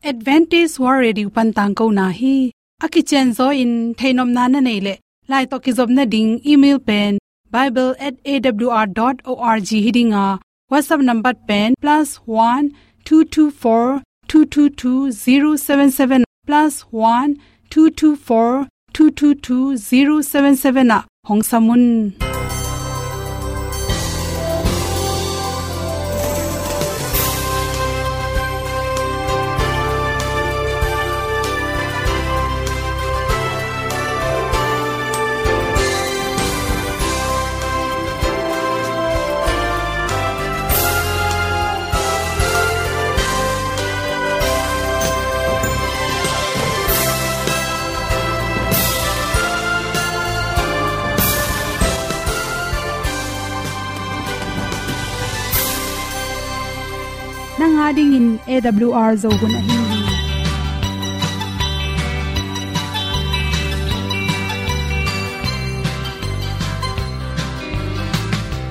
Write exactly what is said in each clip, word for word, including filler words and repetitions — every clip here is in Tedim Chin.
Adventist World Radio pan tangkona hi. A kicianzaw in theihnopna na neih leh, lai tawh kizopna ding email pen bible at A W R dot org hi ding a, WhatsApp number pen plus one two two four two two two zero seven seven, plus one two two four two two two zero seven seven ah hong sam un. Nang a dingin A W R Zo hun ahi hi.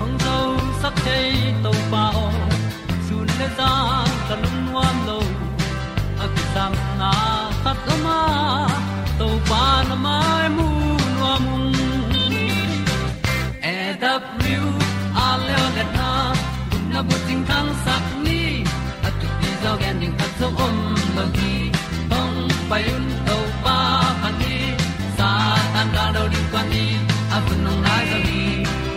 Hong zosak thei Topa aw, sun le zan ka lungnuam lo. A kisapna khat om a, Topa na mai mu nuam ung. A W R Zo hun a, gupna bucing thangsak ni. A thupi zaw gen ding khat zong om lo hi. Hong pai un Topa phat ni. Satan gal do ding kua ni. A hun hong nai zaw hi.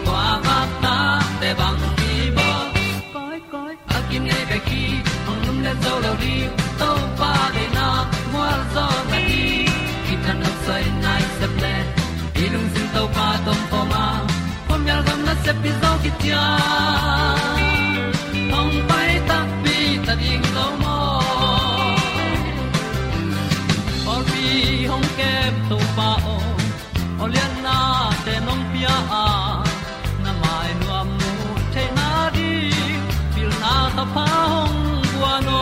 Kua vak ta te bang hi bawl. Koi, koi, a kinei bek hi, hong lumlet zo lo ding. Topa deihna mual zaw na hi. Kitang nok soi nai sep le, i lungsim Topa tawh om a, khuamial gam nasep hi zaw khit ciang, hong pai takpi ta ding lo maw. Pawlpi hong kem Topa aw, awliatnate nong pia a, na mai nuam mu theihna ding pilna thapha hong guan aw.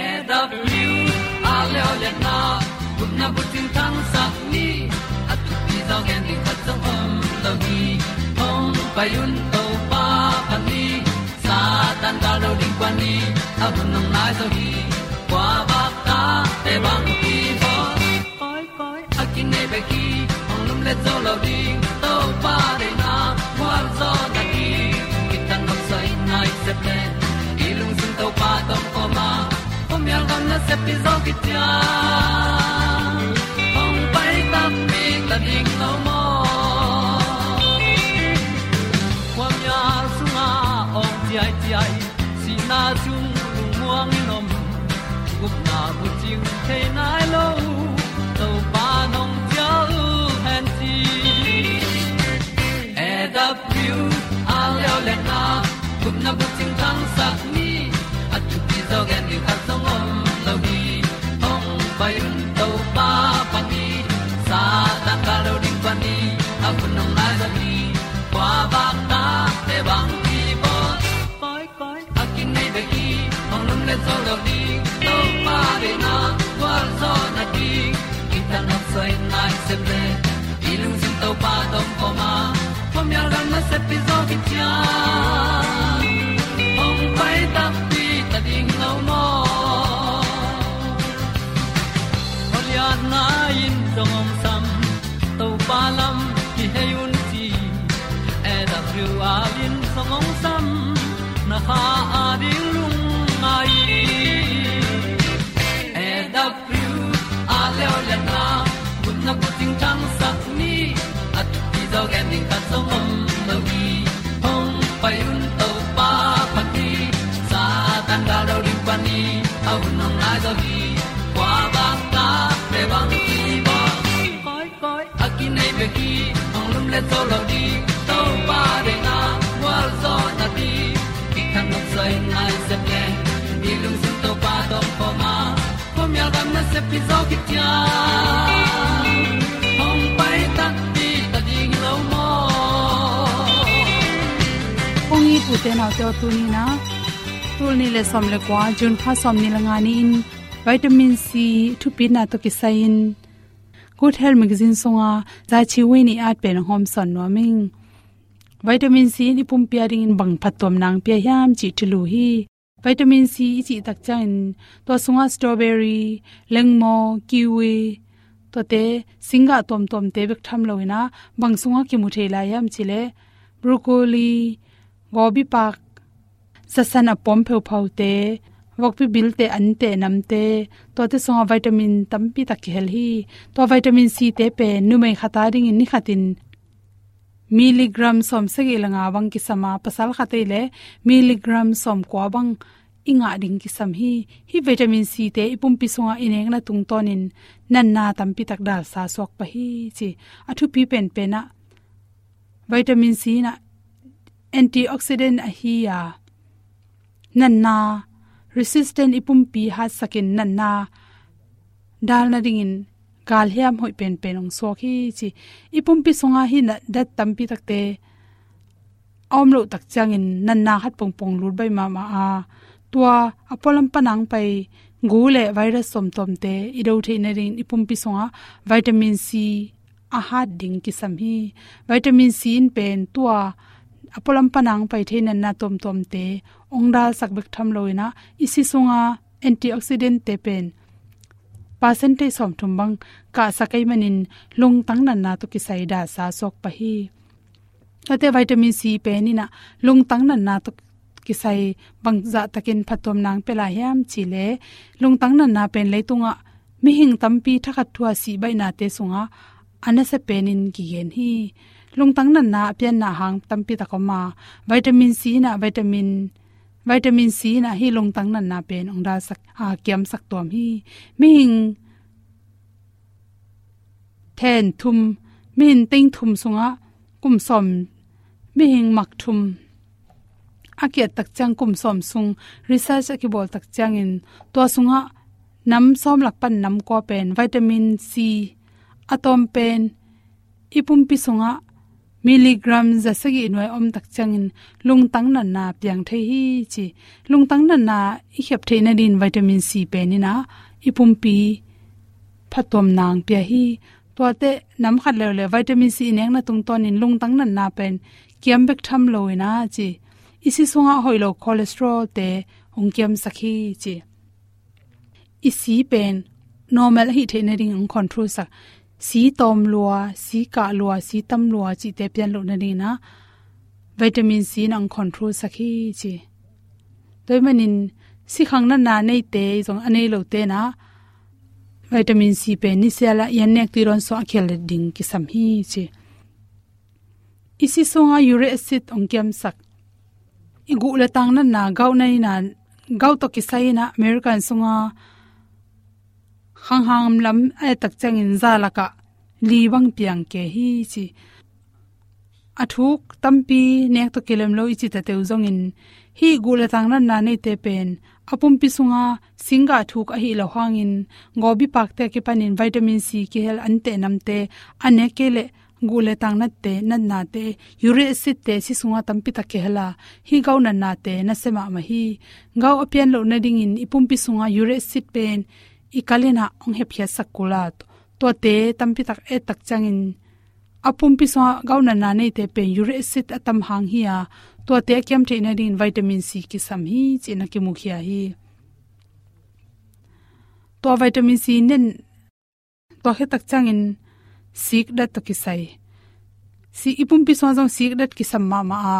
A W R Zo hun a, gupna bucing thangsak ni. A thupi zaw gen ding khat zong om lo hi. Hong pai un Topa phat ni. Satan gal do ding kua ni. A hun hong nai zaw hi. Kua vak ta te bang hi bawl. Koi, koi, a kinei bek hi, hong lumlet zo lo ding. Topa deihna mual zaw na hi. Kitang nok soi nai sep le, i lungsim Topa tawh om a, khuamial gam nasep hi zaw khit ciang, hong pai takpi ta ding lo maw. Khuamial sungah awng ciaiciai, sihna sung lungmuang in om, gupna bucing thei nai lo, Topa nong cial hen ci. A W R Zo hun a, gupna bucing thangsak ni. A thupi zaw gen ding khat zong om lo hi. Hong pai un Topa phat ni. Satan gal do ding kua ni. A hun hong nai zaw hi. Kua vak ta te bang hi bawl. Koi, koi, a kinei bek hi, hong lumlet zo lo ding. Topa deihna gualzawhna ding, kitang nok soi nai sep le, i lungsim Topa tawh om a, khuamial gam nasep hi zaw khit ciang, hong pai takpi ta ding lo maw. Awliatna in zong hong sam, Topa lam kihei un ci. A W R in zong hong sam, na kha a ding lungngai. A W R Zo hun a, gupna bucing thangsak ni. A thupi zaw gen ding khat zong om lo hi. Hong pai un Topa phat ni. Satan gal do ding pah ni. A hun hong nai zaw hi. Kua vak ta te bang hi bawl. Koi, koi, a kinei bek hi, hong lumlet zo lo ding. Topa deihna gualzawhna ding, kitang nok soi nai sep le, i lungsim Topa tawh om a, khuamial gam nasep hi zaw khit ciang, hong pai takpi ta ding lo maw. Kong it u te nau te aw, tuni in ah, tul nih le sawm le kua, June kha sawmnih le nga ni-in, vitamin C thupitna tawh kisai-in Good Health Magazine sunga Za Chi Wei nih at pen hong hawmsawn nuam ing. Vitamin C in i pumpi a dingin bang phattuamna hong pia hiam cih thulu hi. Vitamin C i cih tak ciangin tua sungah strawberry, lengmaw, kiwi, tuate singgah tuamtuamte bek tham loin ah, bang sungah kimu thei lai hiam cih leh broccoli, gobi pak, zasan a puam phauphaute, vokpi bilte, ante, namte, tuate sungah vitamin tampi tak kihel hi. Tua vitamin C te pen numei khat a dingin ni khatin milligram sawmsagih le nga bang kisam a, pasal khat ei leh milligram sawmkua bang i ngah ding kisam hi. Hih vitamin C te i pumpi sungah i nekna tungtawnin natna tampi tak dalsa suak pah hi ci. A thupi penpen ah vitamin C in ah antioxidant ahi a, natna resistant, i pumpi hatsakin natna dal nadingin galhiam hoih penpen hong suak hi ci. I pumpi sungah hih natdat tampi takte a om loh tak ciangin natna khat pongpong lut baih mahmah a, tua a pualam panang pai gu le virus tuamtuamte i do theih nadingin i pumpi sungah vitamin C a hat ding kisam hi. Vitamin C in pen tua a pualam panang pai thei natna tuamtuamte hong dalsak bek tham loin ah, i si sunga antioxidant te pen percentage sawmthum bang kahsak ahih manin lungtang natna tawh kisai dalsa suak pah hi. Tuate vitamin C pen in ah lungtang natna tawh kisai bangzah takin phattuamna hong pia lai hiam cih leh, lungtang natna pen leitungah mihing tampi thakhat thu a sih baihnate sungah a nasia penin kigen hi. Lungtang natna a pianna hang tampi tak om a, vitamin C in ah vitamin, vitamin C in ah hih lungtang natna pen hong dalsak, a, kiamsak tuam hi. Mihing then thum, mihing teng thum sungah kum sawm, mihing mak thum a kiat tak ciang kum sawm sung research a kibawl tak ciangin, tua sungah nam sawm lak pan nam kua pen vitamin C a tawm pen i pumpi sungah milligram za sagih nuai om tak ciangin lungtang natna piang thei hi ci. Lungtang natna i khiap theih nadingin vitamin C pen in ah i pumpi phattuamna hong pia hi. Tuate nam khat leuleu vitamin C i nekna tungtawnin lungtang natna pen kiam bek tham loin ah ci, i si sungah hoih lo cholesterol te hong kiamsak hi ci. I si pen normal ahih theih nading hong control sak. Si tawm lua, si kah lua, si tam lua cihte pian loh nadingin ah vitamin C in hong control sak hi ci. Tua ahih manin sikhang natna neite zong a nei lote in ah vitamin C pen nisial ah i an nek tui dawn sungah a kihel ding kisam hi ci. I si sungah uric acid hong kiamsak. I guh le tang natna, gout natna, gout tawh kisai in ah American sungah khangham lam a et tak ciangin za lakah li bang piang kei hi ci. A thuk tampi nek tawh kilem lo i cih tete uh zongin, hih guh le tang natna neite pen a pumpi sungah singgah thuk ahih loh hangin, gobi pakte a kipanin vitamin C kihel, ante, namte a nek kei leh guh le tang natte, natnate, uric acid te si sungah tampi tak kihel a, hih gout natnate nasia mahmah hi. Gout a pian loh nadingin i pumpi sungah uric acid pen i kal in ah hong hepkhiatsak kul a, tuate tampi tak et tak ciangin a pumpi sungah gout natna neite pen uric acid a tam hang hi a, tuate a kiam theih nadingin vitamin C kisam hi ci-in a kimukhia hi. Tua vitamin C nen tua khit tak ciangin sikdat tawh kisai. Si, i pumpi sungah zong sikdat kisam mahmah a,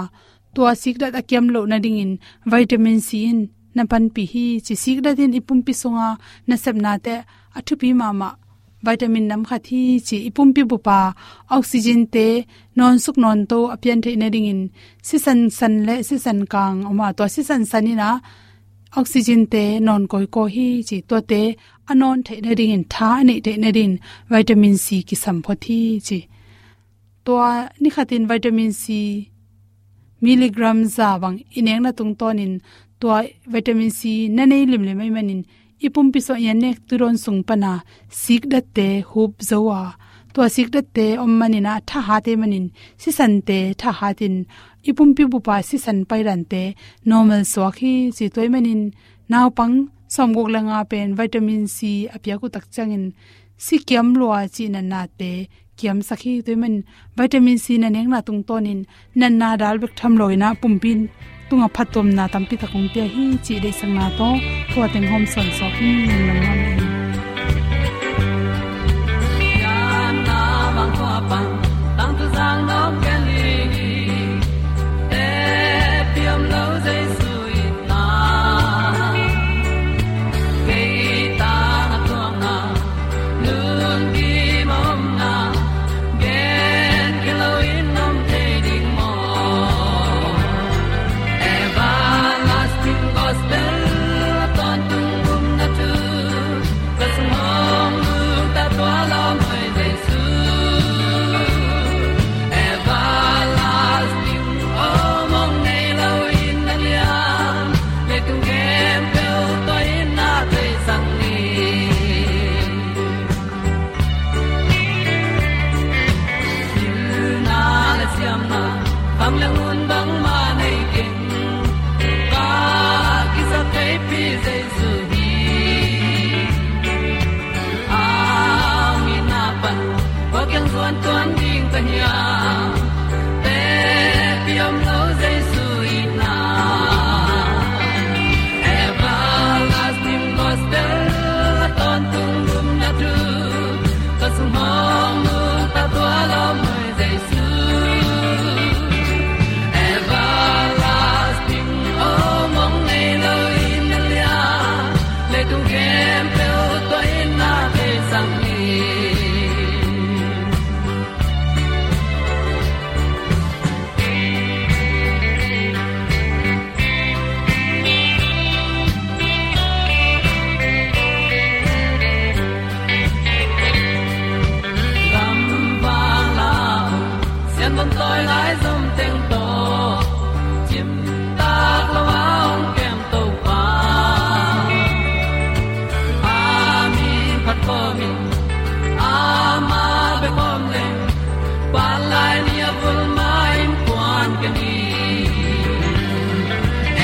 tua sikdat a kiam loh nadingin vitamin C in na panpih hi ci. Sikdat in i pumpi sunga nasepnate a thupi mahmah vitamin nam khat hi ci. I pumpi bup a oxygen te nawnsuk nawnto a pian theih nadingin sisan san le sisan kang om a, tua sisan san in ah oxygen te nawn kawikawi hi ci. Tuate a nawn theih nadingin, tha a neih theih nadingin vitamin C kisam phot hi ci. Tua ni khatin vitamin C milligram za bang i nekna tungtawnin tua vitamin C na nei limlim ahih manin i pumpi sungah i an nek tui dawn sung pana sikdatte hup zo a, tua sikdatte om manin ah thahat ahih manin sisante thahatin i pumpi bup a sisan paidante normal suak hi ci. Tua ahih manin naupang sawmguk le nga pen vitamin C a piak uh tak ciangin si kiam lua cih natnate kiamsak hi. Tua ahih manin vitamin C na nekna tungtawnin natna dal bek tham loin ah pumpi in Tungah phattuamna tampi tak hong pia hi cih deihsakna tawh thu a teng hawm sawn sawk hi. Lungdam mahmah hi. Pilna le siamna, kham le hun bangmah nei keng. Ka kisa keipi Jesu hi. A hong itna pan kua kiang zuan tuan ding ka hiam? Tepi om lo Jesu itna. Everlasting gospel a tawntung gupna thu ka sung hong nungta tua lawm hoi Jesu. Everlasting om hong nei lo in na lian, leitung khempeuh tua in na thei sang ni. Gamvang lam sian bawm tawi lai zom teng tawh, cimtak lo a hong kem Topa. A min phat kawmin amah bek om leng, pan lai ni a vul mah in kuan ka ni.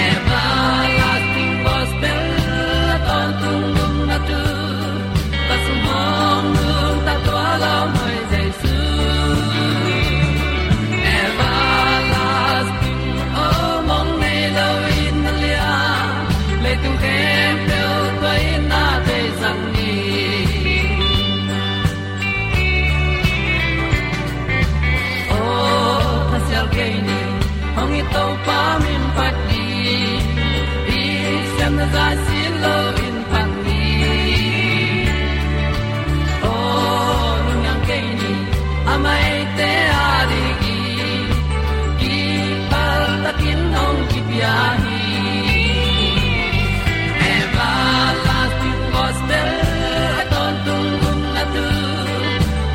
Everlasting gospel a tawntung gupna thu ka sung hong nungta tua lawm hoi Jesu. Everlasting om hong nei lo in na lian, leitung khempeuh tua in na thei sang ni. Aw, thasial kei ni, hong it Topa min phat ni, i siamna zah sin lo in phat ni. Aw, lungniang kei ni, a maite a ding i, kipal takin hong kipia hi. Everlasting gospel a tawntung gupna thu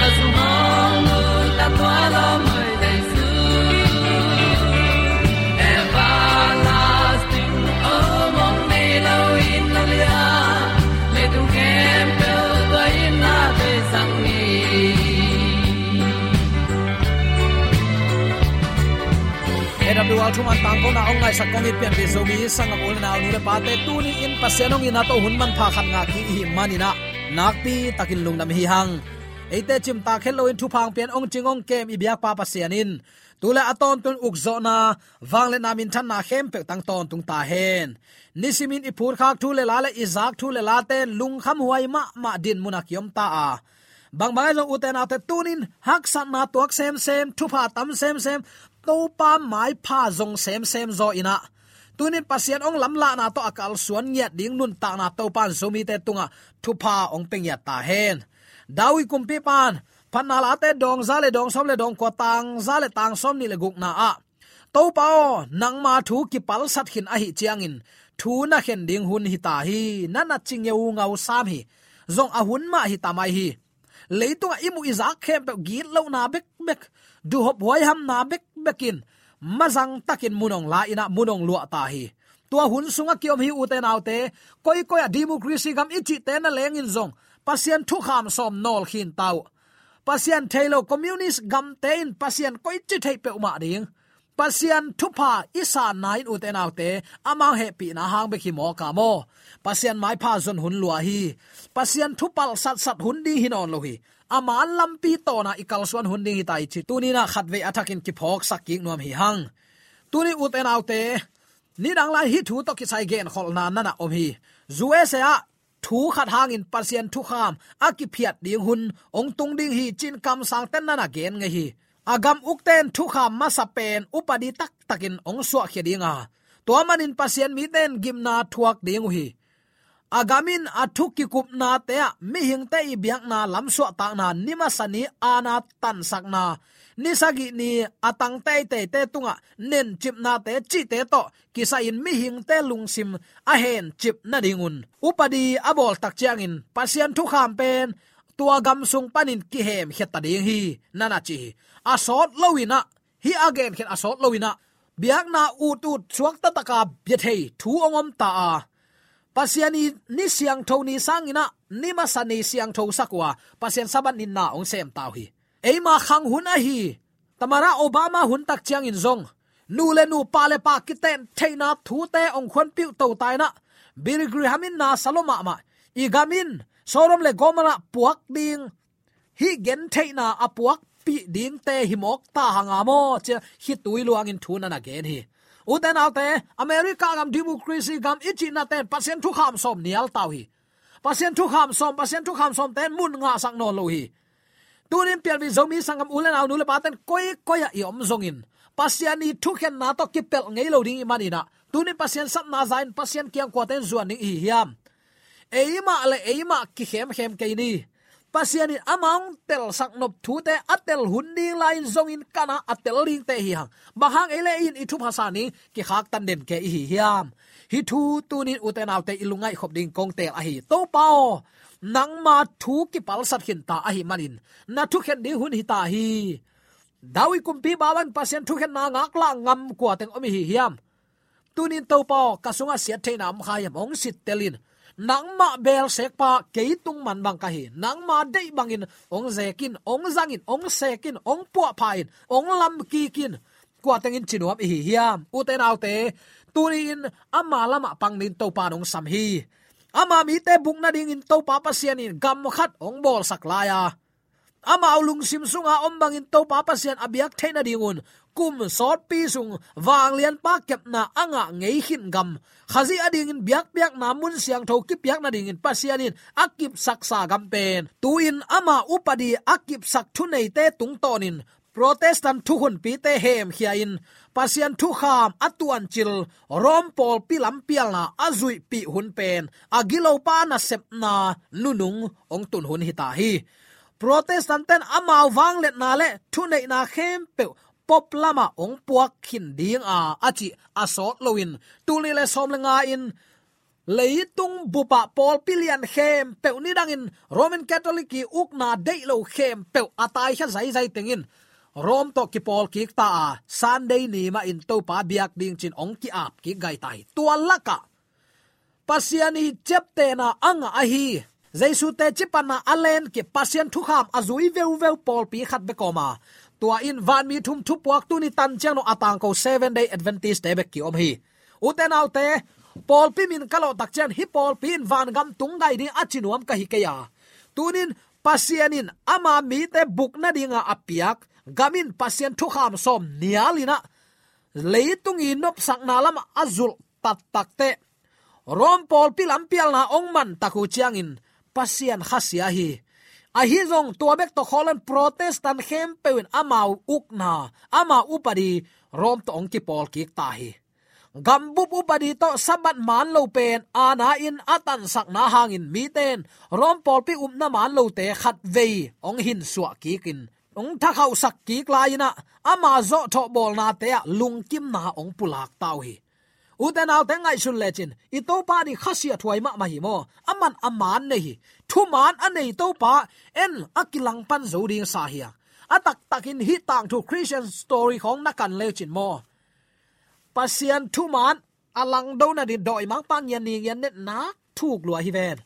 ka sung hong nungta tua lawm hoi Jesu. Everlasting om hong nei lo in na lian, leitung khempeuh tua in na thei sang ni. A W R thuman tangkona hong ngaihsak kong it pianpih Zomi sanggam u le nau, nu le pate, tuni in Pasian hong itna tawh hun manpha khat ngah kik i hih manin ah nakpi takin lungdam hi hang. Eite cimtak het loin thupha hong pia in hong cing hong kem i biakpa Pasian in tu le a tawntung ukzawhna, vangliatna, minthanna khempeuh tang tawntung ta hen. Nisimin i phutkhak thu le la le i zak thu le late lungkhamhuai mahmah dinmun a kiom ta a, bangbang ahi zong ute naute, tunin haksatna tuak semsem, thupha tam semsem, Topa maipha zong semsem zaw in ah, tunin Pasian hong lamlahna tawh a kalsuan ngiat ding nuntakna Topa in Zomite tungah thupha hong pia ngiat ta hen. David kumpipa in Phatna Late dawng za le dawng sawm le dawng kua, tang za le tang sawm nih le gukna ah, Topa aw, nangma thu kipalsat khin ahih ciangin thu na khen ding hun hi ta hi. Na na ci ngeungau sam hi. Zong a hun mah hi ta mai hi. Leitungah i muh i zak khempeuh gitlohna bekbek, duhhop huaihamna bekbek in mazang takin mun hong la in ah mun hong luah ta hi. Tua hun sungah kiom hi ute naute, koikoi ah democracy gam i cihte na lengin zong Pasian thukham sawm nawl khin ta uh. Pasian thei lo communist gamte in Pasian koici theih peuhmah ding. Pasian thupha i sanna in ute naute, amau hehpihna hang bek hi mawk a maw. Pasian maipha zon hun lua hi. Pasian thupalh satsat hun ding hi nawn lo hi. Ama lampi tawna i kalsuan hun ding hi ta hi ci. Tuninah khatvei a thakin kiphawksak kik nuam hi hang. Tuni ute naute, Nidang lai hih thu tawh kisai genkholhna nana om hi. U S A ah thu khat hangin Pasian thukham a kiphiat ding hun hong tung ding hi ci-in kamsangte'n nana gen ngei hi. A gam ukte'n thukham masa pen upadi taktakin hong suahkhia ding a, tua manin Pasian mite'n gimna thuak ding uh hi. A gam in a thu kikupnate ah mihingte i biakna lamsuahtakna, ni masa ni aana tansakna, ni sagih ni a tang teiteite tungah nencipnate cihte tawh kisai-in mihingte lungsim a hencip nadingun upadi a bawl tak ciangin Pasian thukham pen tua gam sung panin kihemkhia ta ding hi, nana ci hi. A sawt loin ah, hih a genkhiat a sawt loin ah, biakna utut suakta taka bia thei thu hong om ta a, Pasian i ni siangtho ni sangin ah ni masa ni siangtho sak uh a, Pasian Sabbath ni na hong sem ta uh hi. Eima khang hun ahi, Tamara Obama hun tak ciangin zong nu le nu, pa le pa kiten theihna thute hong khuanpih uh to ta in ah, Billy Graham in na sa lua mahmah, i gam in Sodom le Gomorrah puak ding, hih gentheihna a puakpih dingte hi mawk ta hang a maw, ci-a khitui luangin thu nana gen hi. Ute naute, America gam, democracy gam i cihnate'n Pasian thukham sawm nial ta uh hi. Pasian thukham sawm, Pasian thukham sawmte'n mun ngahsak nawn lo hi. Tunin pialvin Zomi sanggam u le nau, nu le pate'n koikoi ah i om zongin Pasian i thukhenna tawh kipelh ngei lo ding i hih manin ah, tunin Pasian sapna za-in Pasian kiang kuate'n zuan ding i hi hiam? Eimah le eimah kikhemkhem kei ni. Pasian in ama hong telsak nop thute a tel hun ding lai-in zongin ka na a tel dingte hi hang. Bang hang ei le ei in i thupha sa ni, kikhaktan den kei i hi hiam? Hih thu tunin ute naute i lungngaih khop ding kong teel ahi. Topa aw, nangma thu kipalsat khin ta ahih manin na thukhen ding hun hi ta hi. David kumpipa bangin Pasian thukhenna ngaklah ngam kuateng om i hi hiam? Tunin Topa aw, ka sungah siattheihna om kha hiam, hong sittel in. Nangmah beelsekpa kei tung man bang ka hi. Nangma deih bangin hong zekin, hong zangin, hong sekin, hong puahphahin, hong lamkikin, kuatengin ci nuam i hi hiam? Ute naute, tuni-in ama lamah pang dingin Topa in hong sam hi. Ama mite buk nadingin Topa Pasian in gam khat hong bawlsak lai a, amau lungsim sunga om bangin Topa Pasian a biak theih nadingun kum sawtpi sung vanglianpa kepna a ngah ngei khin gam, Khazih adingin biakpiakna mun siangtho kipiak nadingin Pasian in a kipsaksa gam pen, tu-in ama upadi a kipsak thuneite tungtawnin Protestant thukhunpite hemkhia-in Pasian thukham a tuancil Rom pawlpi lampialna a zuihpih hun pen a gilopa nasepna nunung hong tun hun hi ta hi. Protestant-te'n amau vangliatna le thuneihna khempeuh Pope lamah hong puak khin ding a, a cih a sawt loin, tul nih le sawm le nga-in leitung bupah pawlpi lian khempeuh, nidangin Roman Catholic i ukna deih lo khempeuh a taikhia zaizai tengin Rom tawh kipawl kik ta a, Sunday ni mahin Topa biak ding ci-in hong ki-ap kik gai ta hi. Tua lakah Pasian i ciaptehna a ngah ahi Jesu teci panna a lenkip, Pasian thukham a zui veuveu pawlpi khat bek om a, tua in vanmi thum thupuak tuni tan ciang dong a tangko Seven Day Adventist-te bek ki-om hi. Ute naute, pawlpi min ka lawh tak ciang hih pawlpi in vangam tung gai ding a ci nuam ka hi kei a, tunin Pasian in ama mite buk nadinga a piak gam in Pasian thukham sawm nial in ah leitung i nopsakna lamah a zulh taktak teh Rom pawlpi lampialna hong man tak uh ciangin Pasian khasia hi. Ahi zong tua bek tawh khawlin Protestant khempeuh in amau ukna, amau upadi Rom tawh hong kipawl kik ta hi. Gambup upadi tawh Sabbath man lo pen aana in a tansakna hangin mite in Rom pawlpi upna man lote khatvei hong hinsuah kikin, hong thakhauhsak kik lai-in ah ama zawhthawh bawlnate ah lungkimna hong pulak ta uh hi. Ute naute, ngaihsun lecin, i Topa nih khasiathuai mahmah hi maw. Aman a man nei hi. Thuman a nei Topa en a kilangpan zo ding sa hi a, a taktakin hih tangthu Christian story khawng na kan lecin maw, Pasian thuman a langdo nading dawimangpa ngian ni ngian net nak thuk lua hi ven.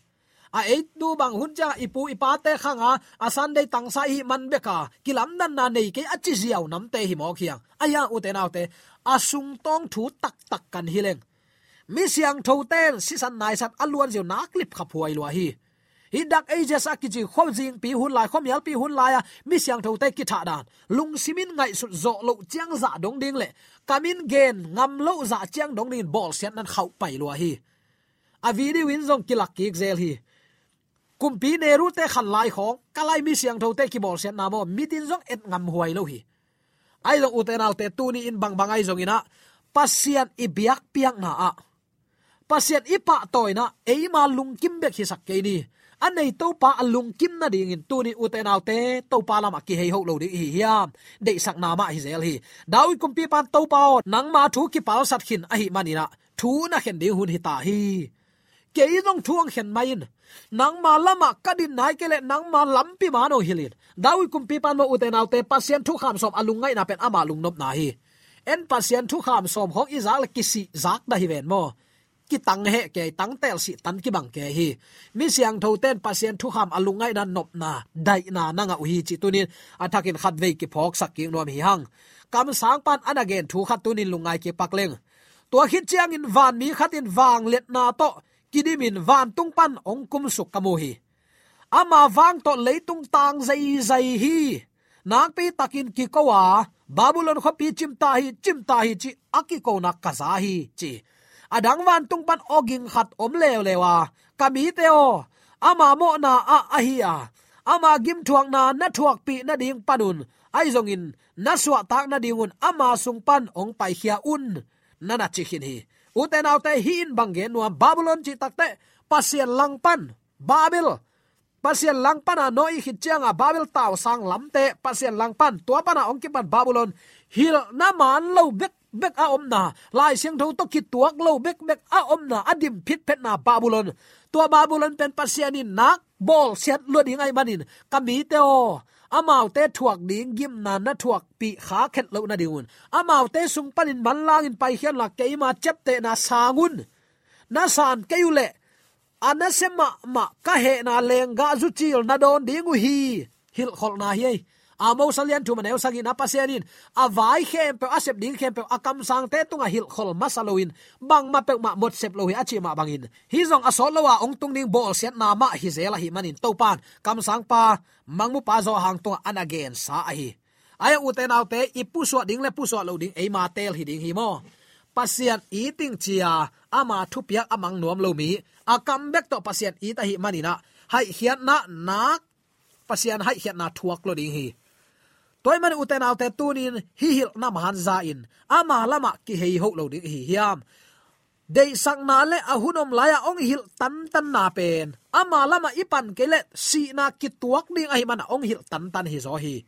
A eitu bang hun ciang i pu i pate khanga a Sunday tangsa i hih man beka kilamdanna nei kei a ci ziau namte hi mawk hi hang. Ahi hang ute naute, a sungtawng thu taktak kan hi leng, mi siangthote'n sisan naisan a luanziau nak lipkhaphuai lua hi. Hih Dark Ages a kici khuazingpi hun lai, khuamialpi hun lai-a mi siangthote kithah dan, lungsim in ngaihsut zawh loh ciang zah dong ding le kam in gen ngam loh zah ciang dong dingin bawlsiatna in khauh pai lua hi. A video in zong kilak kik zel hi. Kumpi Nehru-te khan lai khawng, ka lai mi siangthote kibawlsiatna maw, mit in zong et ngam huai lo hi. Ahi zong ute naute, tuni in bangbang ahi zongin ah, Pasian i biakpiakna ah, Pasian i pahtawina ah eima lungkim bek hisak kei ni. A nei Topa a lungkim nadingin tuni ute naute, Topa lamah kihei hoh lo ding i hi hiam? Deihsakna mah hi zel hi. David kumpipa in, Topa aw, nangma thu kipalsat khin ahih manin ah, thu na khen ding hun hi ta hi. Kei zong thu hong khen mai in. Nangma lamah ka din nai kei leh nangma lampi man hong hilh in. David kumpipa in maw ute naute, Pasian thukham sawm a lungngaihna pen ama lungnopna hi. En, Pasian thukham sawm khawng i zak le kisih zak dah hi ven maw. Kitang heh kei, tangtel sih tan kibang kei hi. Mi siangthote in Pasian thukham a lungngaihna, nopna, daihna na ngah uh hi cih tunin a thakin khatvei kiphawksak kik nuam hi hang. Kamsangpa in a na gen thu khat tunin lungngai kik pak leng. Tua khit ciangin vanmi khat in vangliatna tawh kidimin vantung pan hong kumsuk ka mu hi. Ama vang tawh leitung tang zeizai hi. Nakpi takin kiko a, Babylon khuapi cimta hi, cimta hi cih a kikona ka za hi, ci. A dang vantung pan awging khat om leuleu a, ka mite aw, ama mawhna ah ahi a, ama gimthuakna na thuakpih nading pan un, ahi zongin na suahtak nadingun ama sung pan hong paikhia un, na na ci khin hi. Ute naute, hih in bang gen nuam, Babylon cih takteh Pasian langpan, Babel, Pasian langpana Noah i khit cianga Babel tausang lamte, Pasian langpan, tua pana hong kipan Babylon, hilhna man lo bekbek a omna, Lai Siangtho tawh kituak lo bekbek a omna, a dim phitphetna Babylon. Tua Babylon pen Pasian in nak bawlsiat lua ding ahih manin, ka mite aw, amaute thuak ding gimna na thuakpih kha khet loh nadingun, amaute sung panin manlangin paikhiat inla, keima ciaptehna sang un. Na san kei uh leh a nasia mahmah ka hehna lenggah zucil na dawn ding uh hi. Hilhkholhna hi ei. Amos a lian thum a neu sagihna, Pasian in a vai khempeuh, a sep ding khempeuh a kamsangte tungah hilhkhol masa loin, bangmah peuhmah mawksep lo hi a cih mah bangin, hih zong a sawt lo a hong tung ding bawlsiatna mah hi zel ahih manin, Topa in kamsangpa, mangmupa Johan tungah a na gensa ahi. Ahi a, ute naute, i pusuah ding le pusuah loh ding eima teel hi ding hi maw. Pasian it ing ci-a ama thupiak a mang nuam lo mi, a kam bek tawh Pasian it ahih manin ah, haihkhiatna nak, Pasian haihkhiatna thuak lua ding hi. Tua ahih manin ute naute, tunin hih hilhna man za in, ama lamah kihei hoh lo ding i hi hiam? Deihsakna le a hun om lai-ah hong hilh tantanna pen, ama lamah i pan kei leh sihna kituak ding ahih manin hong hilh tantan hi zaw hi.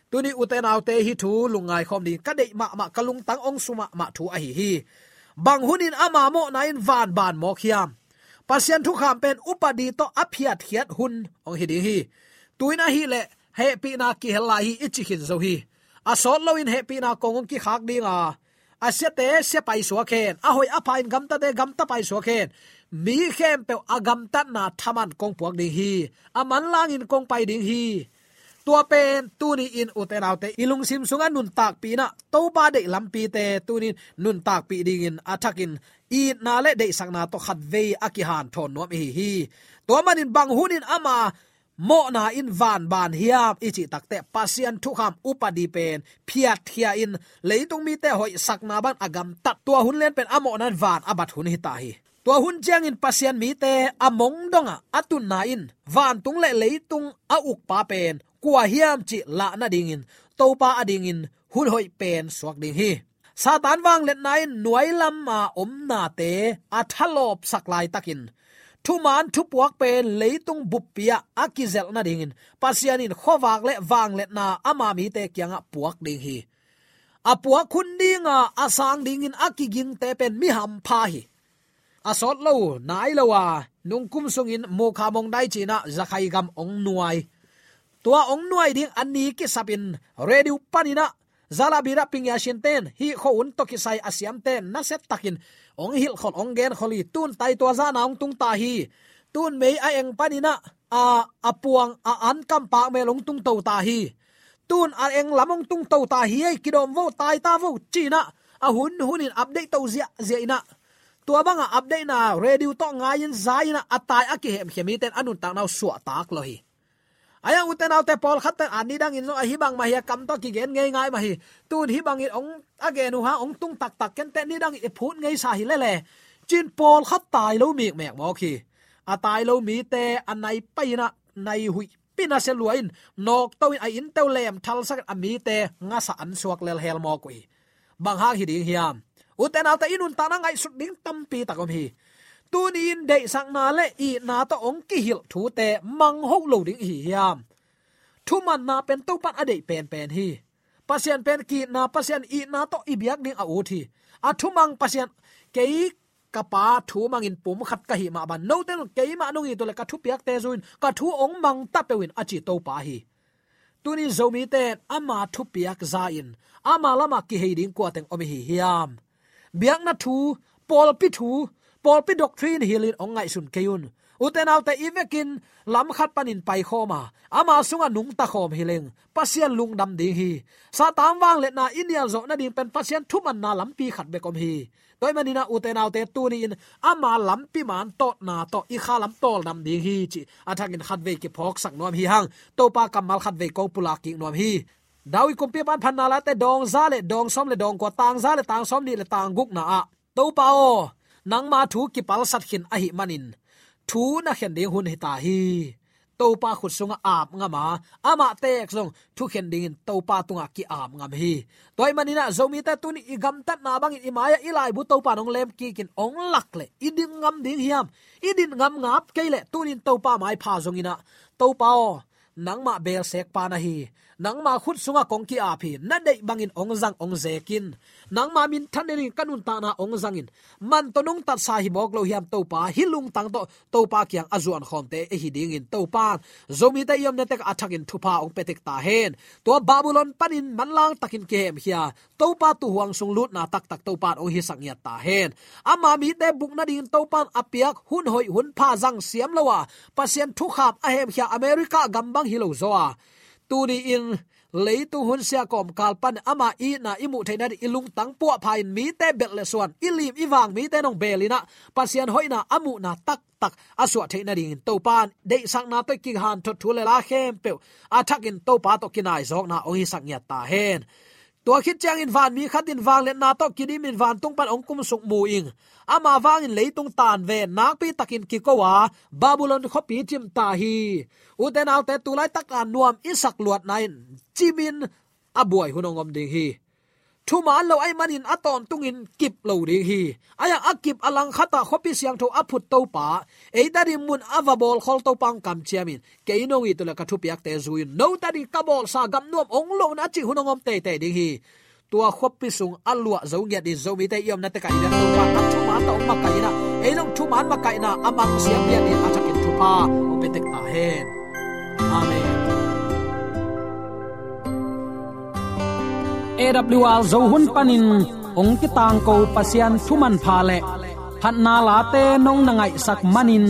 Tuni ute naute, hih thu lungngai khawm ding ka deih mahmah, ka lungtang hong su mahmah thu ahi hi. Bang hunin ama mawhna in vanban mawk hiam? Pasian thukham pen upadi tawh a phiatkhiat hun hong hi ding hi. Tu-in ahih leh hehpihna kihel lai hi i ci khin zo hi. A sawt loin hehpihna kong hong kikhak ding a, a siate sia paisuak hen, a hoih a pha in gamtate gamta paisuak hen. Mi khempeuh a gamtatna thaman kong puak ding hi. A manlangin kong pai ding hi. Tua pen tuni-in ute naute, i lungsim sungah nuntakpih in ah, Topa deih lampite tuni-in nuntakpih dingin a thakin itna le deihsakna tawh khatvei a kihanthawn nuam i hi hi. Tua manin bang hunin ama mawhna in vanban hiam i cih takteh, Pasian thukham upadi pen phiatkhia in, leitung mite hoihsakna bang a gamtat, tua hun lian pen a mawhna in van a bat hun hi ta hi. Tua hun ciangin Pasian mite a mong dongah a tunna in, vantung le leitung a ukpa pen kua hiam cih lah nadingin, Topa adingin hun hoih pen suak ding hi. Satan vangliatna in nuai lama omnate a thalawpsak laitakin, thuman thupuak pen leitung buppi-ah a kizelh nadingin Pasian in khuavak le vangliatna ama mite kiangah puak ding hi. A puak hun dinga a sang dingin a kigingte pen mi hampha hi. A sawt lo, nai lo a, nungkum sungin Mukha Mongdai ci-in ah Zakhai gam hong nuai. Tua hong nuai ding a ni kisapin radio panin ah, Zalabira Pingyashin ten, hih khuahun tawh kisai a siamten, nasiatakin hong hilhkhol, hong genkhol hi. Tun tai tua zahna hong tung ta hi. Tun mei a eng panin ah, a, a puang, a an kampak mel hong tungto ta hi. Tun a eng lam hong tungto ta hi ei, kidawm vo, tai ta vo, ci-in ah, a hun hunin update to ziahziah in ah, tua banga update na radio tawh ngai-in za-in a tai a kihemkhia mite in a nuntakna uh suahtak lo hi. Ahi hang ute naute pawlkhat ten a nidangin zong ahi bang mah hi a kam tawh kigen ngeingai mah hi. Tun hih bangin hong a gen uh hang hong tung taktak kenteh nidangin i phut ngeisa hi lele. Cin pawlkhat tai lo mikmek mawk hi. A tai lo mite a nai pai-in a nai huih pina sia lua in nawkto in a innte uh lem thalsak in a mite ngasa an suak lelhel mawk uh hi. Bang hang hi ding hiam? Ute naute i nuntakna ngaihsut ding tampi tak om hi. Tuni-in deihsakna le itna tawh hong kihilh thute mangho lo ding i hi hiam? Thumanna pen Topan a deih penpen hi. Pasian pen ki-itna, Pasian itna tawh i biak ding a ut hi. A thumang Pasian, kei ka Pa thu mangin pum khat ka hih mah bang, note in keimah nong it uh leh ka thupiakte zui-in ka thu hong mang ta peuh in a ci Topa hi. Tuni Zomite in ama thupiak za-in ama lamah kihei ding kua teng om i hi hiam? Biakna thu, pawlpi thu, pawlpi doctrine hilhin hong ngaihsun kei un. Ute naute i vekin lam khat panin paikhawm a, ama sungah nungta khawm hi leng Pasian lungdam ding hi. Satan vangliatna i nial zawh nading pen Pasian thumanna lampi khat bek om hi. Tua ahih manin a ute naute tuni-in ama lampi man tawtna tawh i kha lam tawldam ding hi cih a thakin khatvei kiphawksak nuam hi hang. Topa kammal khatvei kong pulak kik nuam hi. David kumpipa in Phatna Late dawng za le dawng sawm le dawng kua, tang za le tang sawm nih le tang gukna ah, Topa aw, nangma thu kipalsat khin ahih manin thu na khen ding hun hi ta hi. Topa khut sungah ap ngam a, amah teek zong thukhen dingin Topa tungah ki-ap ngam hi. Tua ahih manin a Zomite tuni i gamtatna bangin i mai-ah i laibu Topa in hong lem kikin hong lak leh i din ngam ding hiam? I din ngam ngap kei leh tuni-in Topa maipha zongin a, Topa aw, nangmah beelsek pa na hi. Nangma khut sungah kong ki-ap hi. Na deih bangin hong zang hong zekin, nangma minthan dingin ka nuntakna hong zangin, man tawh nungtatsa hi mawk lo hiam Topa? Hih lungtang tawh Topa kiang a zuankhawmte i hi dingin Topa in Zomite i omna tekah a thakin thupha hong pia tek ta hen. Tua Babylon panin manlang takin kihemkhia Topa tuuhuang sung lutna taktak Topa in hong hisak ngiat ta hen. Ama mite buk nadingin Topa in a piak hun hoih hun pha zang siam lo a, Pasian thukham a hemkhia America gam bang hi lo zaw a, tuni-in leitung hun sia kawmkal pan ama itna i muh theih nading i lungtang puahpha-in mite belh le suan, i lim i vang mite in hong beel in a, Pasian hoihna a muhna taktak a suah theih nadingin Topa in deihsakna tawh i kihanthawn thu le la khempeuh a thakin Topa tawh kinaizawkna hong hisak ngiat ta hen. Tua khit ciangin vanmi khat in vangliatna tawh kidimin vantung pan hong kumsuk mu ing. Ama vangin leitung tanven nakpi takin kiko a, Babylon khuapi cim ta hi. Ute naute, tu laitak a nuam i sak luatna in cimin a buai hun hong om ding hi. Thuman lo ahih manin a tawntungin kip lo ding hi. Ahi hang a kip a langkhat ah khuapi siangtho a phut Topa, eite ading mun a va bawlkhawl Topa hong kamciamin, kei nong it uh leh ka thupiakte zui un, note ading ka bawlsa gam nuam hong lohna cih hun hong om teitei ding hi. Tua khuapi sung a luah zo ngiat in Zomite i omna tekah i biak Topa in a thuman tawh hong makaih in a, ei zong thuman makaihna a mang siam ngiat in a thakin thupha hong pia tek ta hen. Amen. A W R Zo hun panin hong kitangko Pasian thu manpha le phatna late nong na ngaihsak manin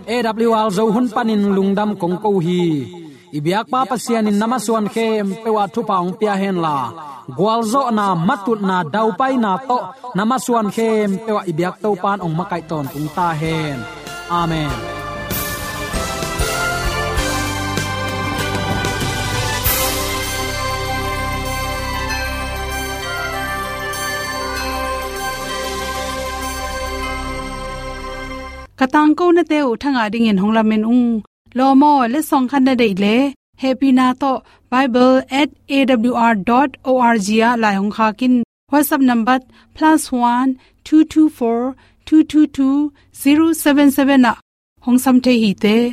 A W R Zo hun panin lungdam kong ko hi. I biakpa Pasian in na masuan khempeuh ah thupha hong pia henla, gualzawhna, matutna, daupaina tawh na masuan khempeuh ah i biak Topa in hong makaih tawntung ta hen. Amen. Ka tangkonate uh thangah dingin hong lamen ung. Lawm aw, letsong khat na deih leh, hehpihna tawh bible at A W R dot O R G ah lai hong khak in. WhatsApp number plus one two two four two two two zero seven seven ah hong sam thei hi te.